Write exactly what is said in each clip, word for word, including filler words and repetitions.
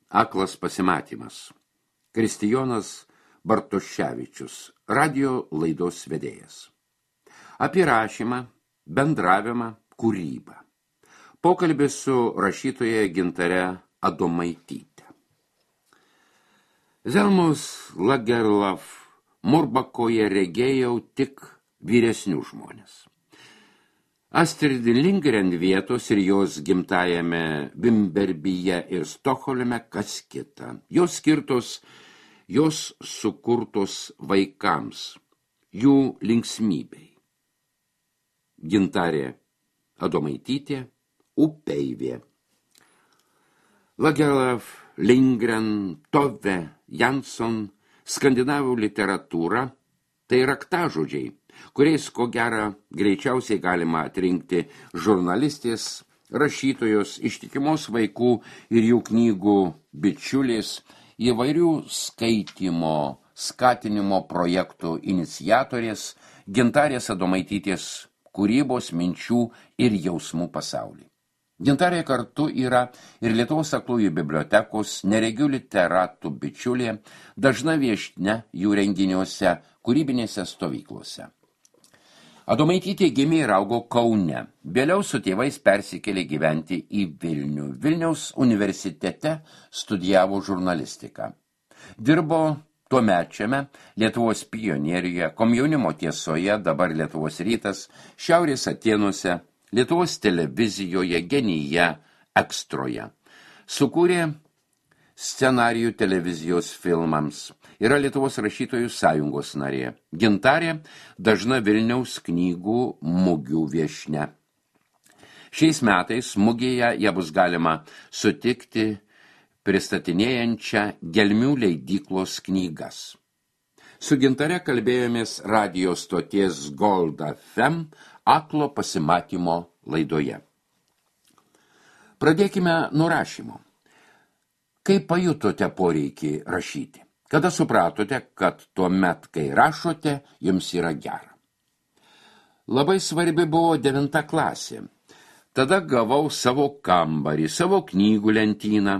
Aklas pasimatymas. Kristijonas Bartoševičius, radio laidos vedėjas. Apie rašymą, bendravimą, kūrybą. Pokalbis su rašytoja Gintare Adomaityte. Zelmos Lagerlöf Murbakoje regėjau tik vyresnių žmonės. Astrid Lindgren vietos ir jos gimtajame Vimberbyje ir Stokholme kas kita. Jos skirtos, jos sukurtos vaikams, jų linksmybei. Gintarė Adomaitytė, Upeivė. Lagerlöf, Lindgren, Tove, Jansson, skandinavų literatūra – tai raktažodžiai, kuriais, ko gera, greičiausiai galima atrinkti žurnalistės, rašytojos, ištikimos vaikų ir jų knygų bičiulės, įvairių skaitymo, skatinimo projektų iniciatorės, Gintarės Adomaitytės kūrybos, minčių ir jausmų pasaulį. Gintarė kartu yra ir Lietuvos aklųjų bibliotekos neregių literatų bičiulė, dažna viešnia jų renginiuose, kūrybinėse stovyklose. Adomaitytė gimė ir augo Kaune, vėliau su tėvais persikėlė gyventi į Vilnių. Vilniaus universitete studijavo žurnalistiką. Dirbo tuomečiame Lietuvos pionieriuje, Komjaunimo tiesoje, dabar Lietuvos rytas, Šiaurės Atėnuose, Lietuvos televizijoje, Genyje, Ekstroje. Sukūrė scenarijų televizijos filmams. Yra Lietuvos rašytojų sąjungos narė. Gintarė dažna Vilniaus knygų mugių viešnia. Šiais metais mugėje ją bus galima sutikti pristatinėjančią Gelmių leidyklos knygas. Su Gintare kalbėjomės radio stoties Gold F M aklo pasimatymo laidoje. Pradėkime nuo rašymo. Kaip pajutote poreikį rašyti? Kada supratote, kad tuomet, kai rašote, jums yra gera? Labai svarbi buvo devinta klasė. Tada gavau savo kambarį, savo knygų lentyną.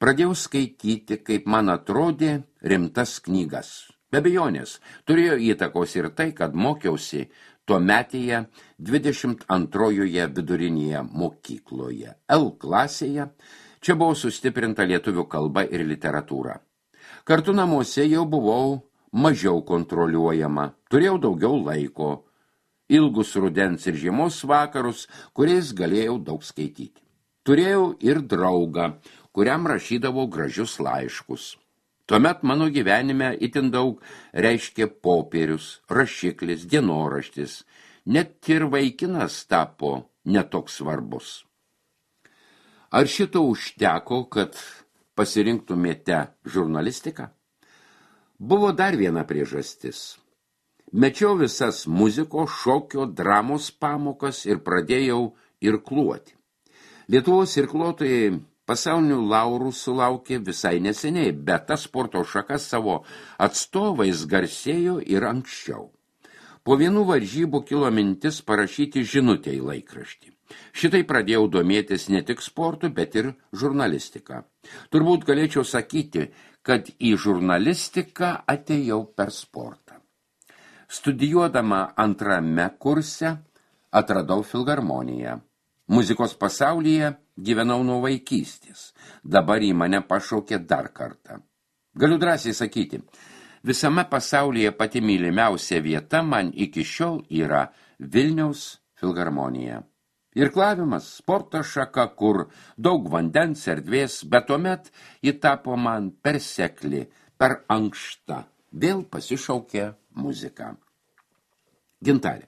Pradėjau skaityti, kaip man atrodė, rimtas knygas. Be abejonės, turėjo įtakos ir tai, kad mokiausi tuometėje dvidešimt antrojoje vidurinėje mokykloje, L klasėje. Čia buvo sustiprinta lietuvių kalba ir literatūra. Kartu namuose jau buvau mažiau kontroliuojama, turėjau daugiau laiko, ilgus rudens ir žiemos vakarus, kuriais galėjau daug skaityti. Turėjau ir draugą, kuriam rašydavau gražius laiškus. Tuomet mano gyvenime itin daug reiškė popierius, rašiklis, dienoraštis. Net ir vaikinas tapo netoks svarbus. Ar šito užteko, kad pasirinktumėte žurnalistiką? Buvo dar viena priežastis. Mečiau visas muzikos, šokio, dramos pamokas ir pradėjau irkluoti. Lietuvos irkluotojai pasaulinių laurų sulaukė visai neseniai, bet ta sporto šaka savo atstovais garsėjo ir anksčiau. Po vienų varžybų kilo mintis parašyti žinutę į laikraštį. Šitai pradėjau domėtis ne tik sportu, bet ir žurnalistiką. Turbūt galėčiau sakyti, kad į žurnalistiką atėjau per sportą. Studijuodama antrame kurse atradau filharmoniją. Muzikos pasaulyje gyvenau nuo vaikystės. Dabar į mane pašaukė dar kartą. Galiu drąsiai sakyti, visame pasaulyje pati mylimiausia vieta man iki šiol yra Vilniaus filharmonija. Irklavimas, sporto šaka, kur daug vandens erdvės, bet tuomet ji tapo man per sekli, per ankšta. Vėl pasišaukė muzika. Gintarė,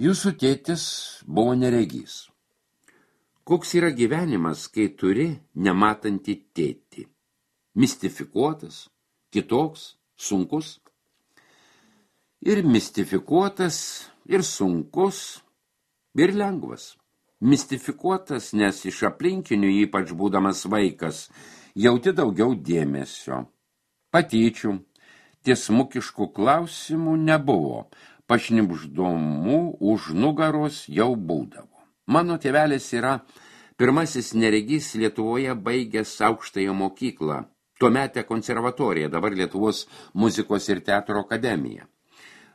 jūsų tėtis buvo neregys. Koks yra gyvenimas, kai turi nematantį tėtį? Mistifikuotas, kitoks, sunkus? Ir mistifikuotas, ir sunkus, ir lengvas. Mistifikuotas, nes iš aplinkinių, ypač būdamas vaikas, jauti daugiau dėmesio. Patyčių, tiesmukiškų klausimų nebuvo, pašnibždomų už nugaros jau būdavo. Mano tėvelis yra Pirmasis neregys Lietuvoje baigęs aukštąją mokyklą, tuometę konservatoriją, dabar Lietuvos muzikos ir teatro akademiją.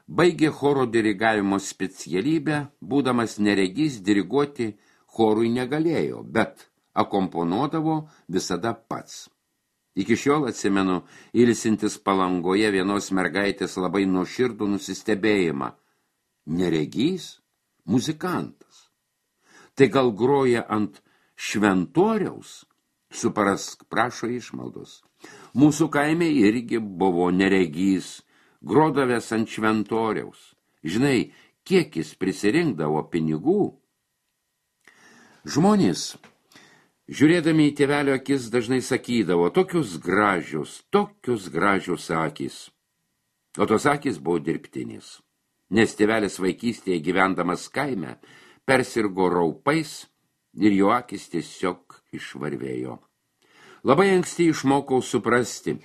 Baigė choro dirigavimo specialybę, būdamas neregys diriguoti chorui negalėjo, bet akomponuodavo visada pats. Iki šiol atsimenu ilsintis Palangoje vienos mergaitės labai nuoširdų nusistebėjimą. Neregys? Muzikantas. Tai gal groja ant šventoriaus? Suparask, prašo išmaldos. Mūsų kaime irgi buvo neregys, grodavęs ant šventoriaus. Žinai, kiek jis prisirinkdavo pinigų? Žmonės, žiūrėdami į tėvelio akis, dažnai sakydavo, tokius gražius, tokius gražius akys. O tos akys buvo dirbtinis, nes tėvelis vaikystėje gyvendamas kaime persirgo raupais ir jo akis tiesiog išvarvėjo. Labai anksti išmokau suprasti,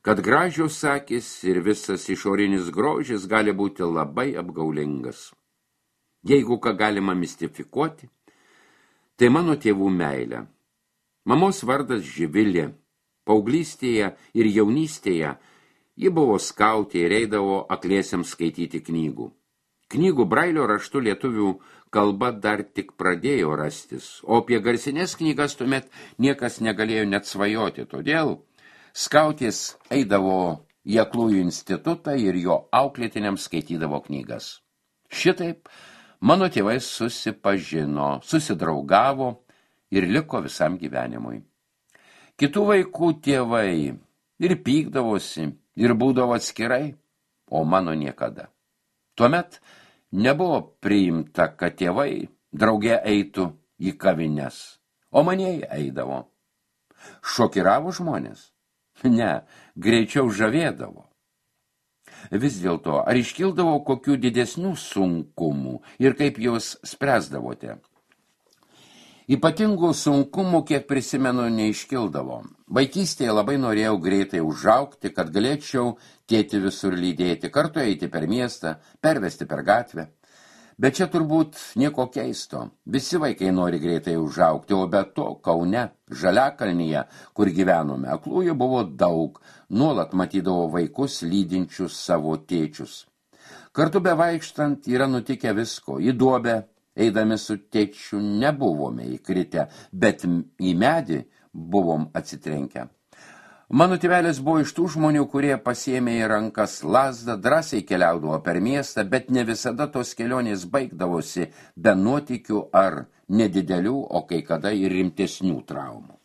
kad gražios akys ir visas išorinis grožis gali būti labai apgaulingas. Jeigu ką galima mistifikuoti, tai mano tėvų meilė. Mamos vardas Živilė. Paauglystėje ir jaunystėje ji buvo skautė ir eidavo akliesiams skaityti knygų. Knygų brailio raštu lietuvių kalba dar tik pradėjo rastis, o apie garsinės knygas tuomet niekas negalėjo net svajoti. Todėl skautės eidavo į aklųjų institutą ir jo auklėtiniams skaitydavo knygas. Šitaip mano tėvai susipažino, susidraugavo ir liko visam gyvenimui. Kitų vaikų tėvai ir pykdavosi, ir būdavo atskirai, o mano niekada. Tuomet nebuvo priimta, kad tėvai drauge eitų į kavines, o manieji eidavo. Šokiravo žmonės? Ne, greičiau žavėdavo. Vis dėlto, ar iškildavo kokių didesnių sunkumų ir kaip juos spręsdavote? Ypatingų sunkumų, kiek prisimenu, neiškildavo. Vaikystėje labai norėjau greitai užaugti, kad galėčiau tėtį visur lydėti, kartu eiti per miestą, pervesti per gatvę. Bet čia turbūt nieko keisto. Visi vaikai nori greitai užaugti, o be to Kaune, Žaliakalnyje, kur gyvenome, aklųjų buvo daug, nuolat matydavo vaikus lydinčius savo tėčius. Kartu bevaikštant yra nutikę visko, į duobę, eidami su tėčiu nebuvome įkritę, bet į medį buvom atsitrenkę. Mano tėvelis buvo iš tų žmonių, kurie pasiėmė į rankas lazdą, drąsiai keliaudavo per miestą, bet ne visada tos kelionės baigdavosi be nuotykių ar nedidelių, o kai kada ir rimtesnių traumų.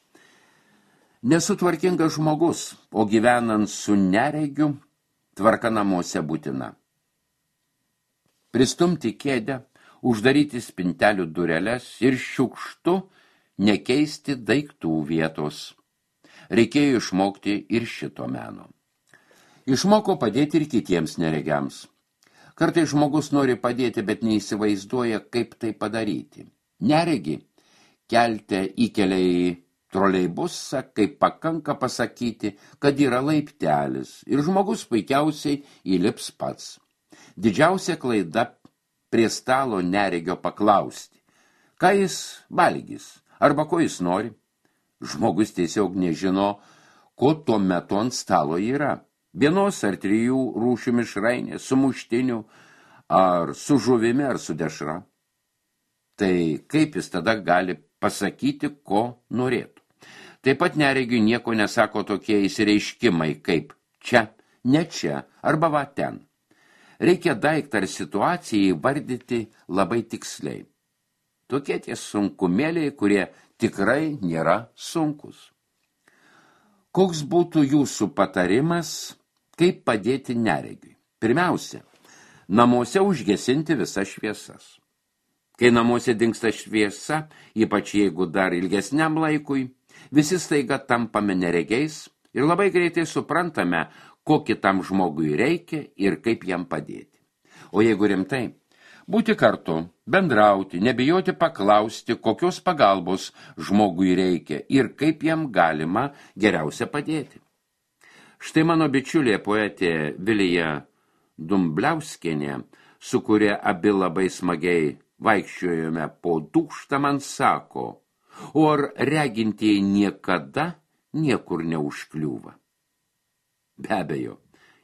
Nesutvarkingas žmogus, o gyvenant su neregiu, tvarka namuose būtina. Pristumti kėdę, uždaryti spintelių dureles ir šiukštu nekeisti daiktų vietos. Reikėjo išmokti ir šito meno. Išmoko padėti ir kitiems neregiams. Kartais žmogus nori padėti, bet neįsivaizduoja, kaip tai padaryti. Neregi kelte įkelia į troleibusą, kaip pakanka pasakyti, kad yra laiptelis ir žmogus puikiausiai įlips pats. Didžiausia klaida prie stalo neregio paklausti, ką jis valgys arba ko jis nori. Žmogus tiesiog nežino, ko tuo metu ant stalo yra. Vienos ar trijų rūšių mišrainė, su muštiniu, ar su žuvimi, ar su dešra. Tai kaip jis tada gali pasakyti, ko norėtų? Taip pat neregiui nieko nesako tokie įsireiškimai, kaip čia, ne čia, arba va ten. Reikia daiktą ar situaciją įvardyti labai tiksliai. Tokie tie sunkumėliai, kurie tikrai nėra sunkus. Koks būtų jūsų patarimas, kaip padėti neregiui? Pirmiausia, namuose užgesinti visas šviesas. Kai namuose dingsta šviesa, ypač jeigu dar ilgesniam laikui, visi staiga tampame neregiais ir labai greitai suprantame, ko kitam žmogui reikia ir kaip jam padėti. O jeigu rimtai, būti kartu, bendrauti, nebijoti paklausti, kokios pagalbos žmogui reikia ir kaip jam galima geriausia padėti. Štai mano bičiulė poetė Vilija Dumbliauskienė, su kuria abi labai smagiai vaikščiojome po dūkštą, man sako, O ar regintieji niekada niekur neužkliūva? Be abejo,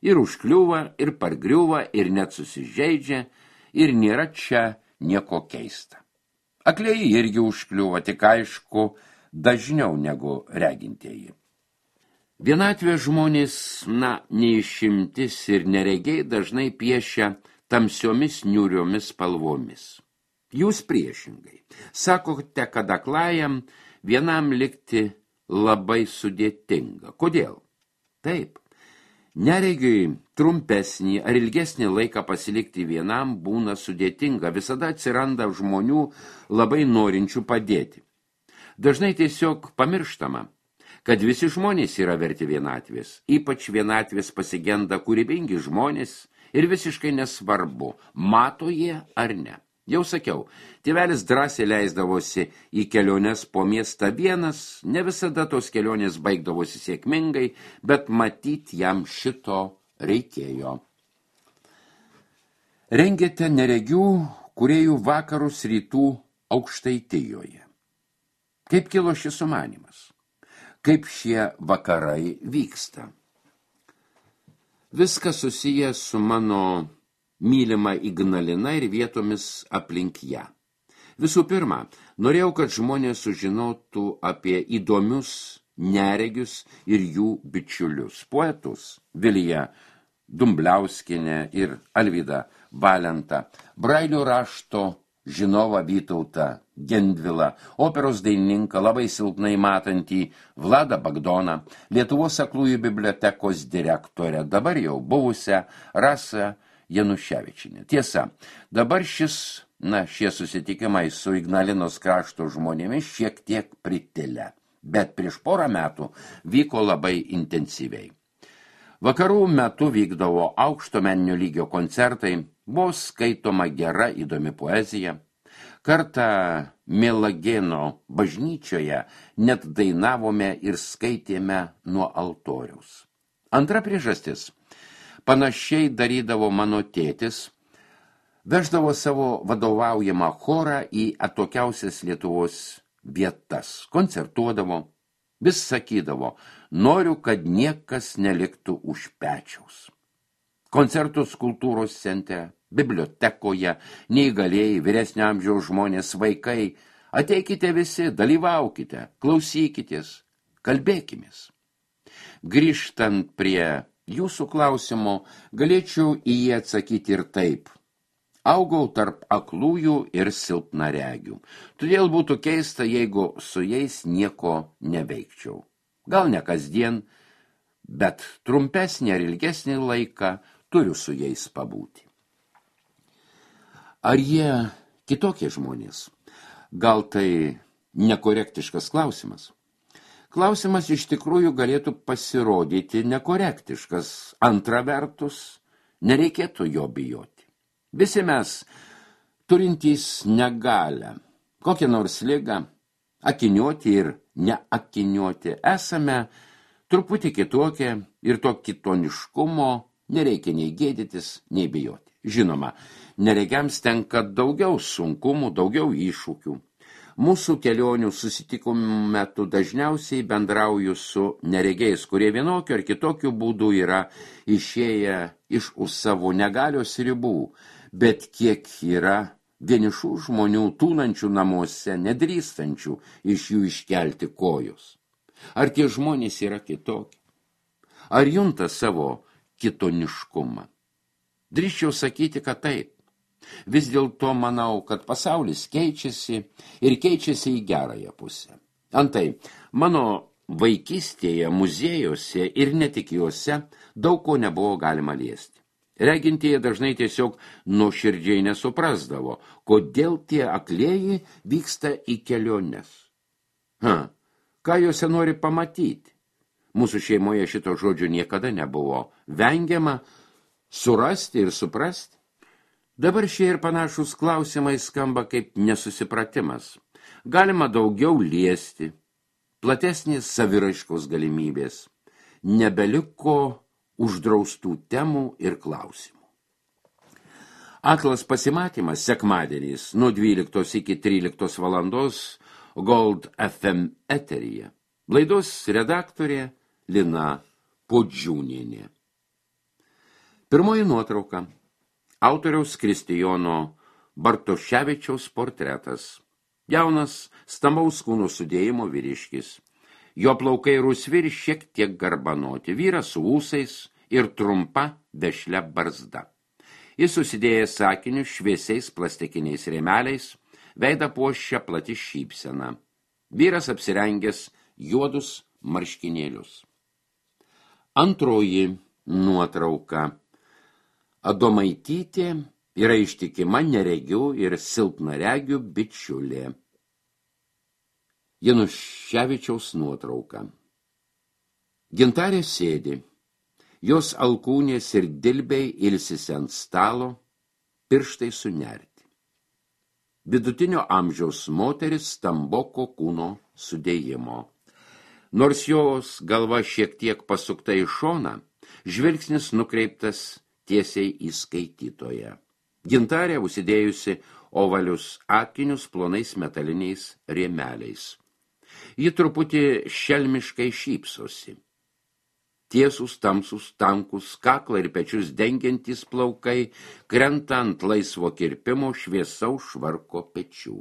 ir užkliūva, ir pargriūva, ir net susižeidžia, ir nėra čia nieko keista. Aklieji irgi užkliūva, tik aišku, dažniau negu regintieji. Vienatvė žmonės, na, neišimtis ir neregiai dažnai piešia tamsiomis niūriomis spalvomis. Jūs priešingai. Sakote, kad aklajam vienam likti labai sudėtinga. Kodėl? Taip. Neregiui trumpesnį ar ilgesnį laiką pasilikti vienam būna sudėtinga. Visada atsiranda žmonių labai norinčių padėti. Dažnai tiesiog pamirštama, kad visi žmonės yra verti vienatvės. Ypač vienatvės pasigenda kūrybingi žmonės ir visiškai nesvarbu, mato jie ar ne. Jau sakiau, tėvelis drąsiai leisdavosi į keliones po miestą vienas, ne visada tos kelionės baigdavosi sėkmingai, bet matyt jam šito reikėjo. Rengėte neregių kūrėjų vakarus rytų Aukštaitijoje. Kaip kilo šis sumanymas? Kaip šie vakarai vyksta? Viskas susijęs su mano mylima Ignalina ir vietomis aplink ją. Visų pirma, norėjau, kad žmonės sužinotų apie įdomius neregius ir jų bičiulius, poetus Viliją Dumbliauskienę ir Alvydą Valentą, Brailio rašto žinovą Vytautą Gendvilą, operos dainininką labai silpnai matantį Vladą Bagdoną, Lietuvos aklųjų bibliotekos direktorę, dabar jau buvusią Rasą Januševičienė. Tiesa, dabar šis, na, šie susitikimai su Ignalinos krašto žmonėmis šiek tiek pritilę, bet prieš porą metų vyko labai intensyviai. Vakarų metu vykdavo aukšto meninio lygio koncertai, buvo skaitoma gera įdomi poezija. Kartą Mielagėno bažnyčioje net dainavome ir skaitėme nuo altoriaus. Antra priežastis. Panašiai darydavo mano tėtis, veždavo savo vadovaujamą chorą į atokiausias Lietuvos vietas, koncertuodavo, vis sakydavo, noriu, kad niekas neliktų už pečiaus. Koncertus kultūros centre, bibliotekoje, neįgalėjai, vyresnio amžiaus žmonės, vaikai, ateikite visi, dalyvaukite, klausykitės, kalbėkimės. Grįžtant prie jūsų klausimo, galėčiau į jį atsakyti ir taip. Augau tarp aklųjų ir silpnaregių. Todėl būtų keista, jeigu su jais nieko neveikčiau. Gal ne kasdien, bet trumpesnį ar ilgesnį laiką turiu su jais pabūti. Ar jie kitokie žmonės? Gal tai nekorektiškas klausimas? Klausimas iš tikrųjų galėtų pasirodyti nekorektiškas. Antra vertus, nereikėtų jo bijoti. Visi mes, turintys negalią, kokią nors ligą, akiniuoti ir neakiniuoti, esame truputį kitokie ir to kitoniškumo nereikia nei gėdytis, nei bijoti. Žinoma, neregiams tenka daugiau sunkumų, daugiau iššūkių. Mūsų kelionių susitikimų metu dažniausiai bendrauju su neregiais, kurie vienokiu ar kitokiu būdu yra išėję iš už savo negalios ribų, bet kiek yra vienišų žmonių tūnančių namuose, nedrįstančių iš jų iškelti kojos. Ar tie žmonės yra kitokie? Ar junta savo kitoniškumą? Drįsčiau sakyti, kad taip. Vis dėlto manau, kad pasaulis keičiasi ir keičiasi į gerąją pusę. Antai, mano vaikystėje, muziejuose ir ne tik juose daug ko nebuvo galima liesti. Regintieji dažnai tiesiog nuoširdžiai nesuprasdavo, kodėl tie aklieji vyksta į keliones. Ha, ką juose nori pamatyti? Mūsų šeimoje šito žodžio niekada nebuvo vengiama surasti ir suprasti. Dabar šie ir panašus klausimai skamba kaip nesusipratimas. Galima daugiau liesti, platesnės saviraiškos galimybės, nebeliko uždraustų temų ir klausimų. Aklas pasimatymas sekmadieniais nuo dvyliktos iki tryliktos valandos Gold F M eteryje. Laidos redaktorė Lina Podžiūnienė. Pirmoji nuotrauka. Autoriaus Kristijono Bartoševičiaus portretas. Jaunas, stambaus kūno sudėjimo vyriškis. Jo plaukai rusvi ir šiek tiek garbanoti. Vyras su ūsais ir trumpa vešlia barzda. Jis susidėjęs sakiniu šviesiais plastikiniais rėmeliais, veidą puošia plati šypsena. Vyras apsirengęs juodus marškinėlius. Antroji nuotrauka. Adomaitytė yra ištikima neregių ir silpnaregių bičiulė. Januševičiaus nuotrauka. Gintarė sėdi. Jos alkūnės ir dilbiai ilsisi ant stalo, pirštai sunerti. Vidutinio amžiaus moteris stamboko kūno sudėjimo. Nors jos galva šiek tiek pasukta į šoną, žvilgsnis nukreiptas tiesiai į skaitytoją. Gintarė užsidėjusi ovalius akinius plonais metaliniais rėmeliais. Ji truputį šelmiškai šypsosi. Tiesūs, tamsūs, tankus, kaklą ir pečius dengiantys plaukai krenta ant laisvo kirpimo šviesaus švarko pečių.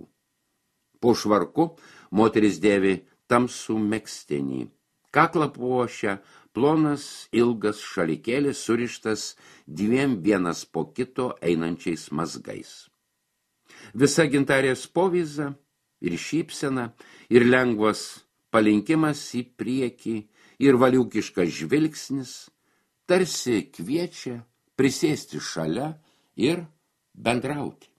Po švarku moteris dėvi tamsų megztinį. Kaklą puošia plonas ilgas šalikėlis surištas dviem vienas po kito einančiais mazgais. Visa Gintarės povyza ir šypsena ir lengvas palinkimas į priekį ir valiukiškas žvilgsnis tarsi kviečia prisėsti šalia ir bendrauti.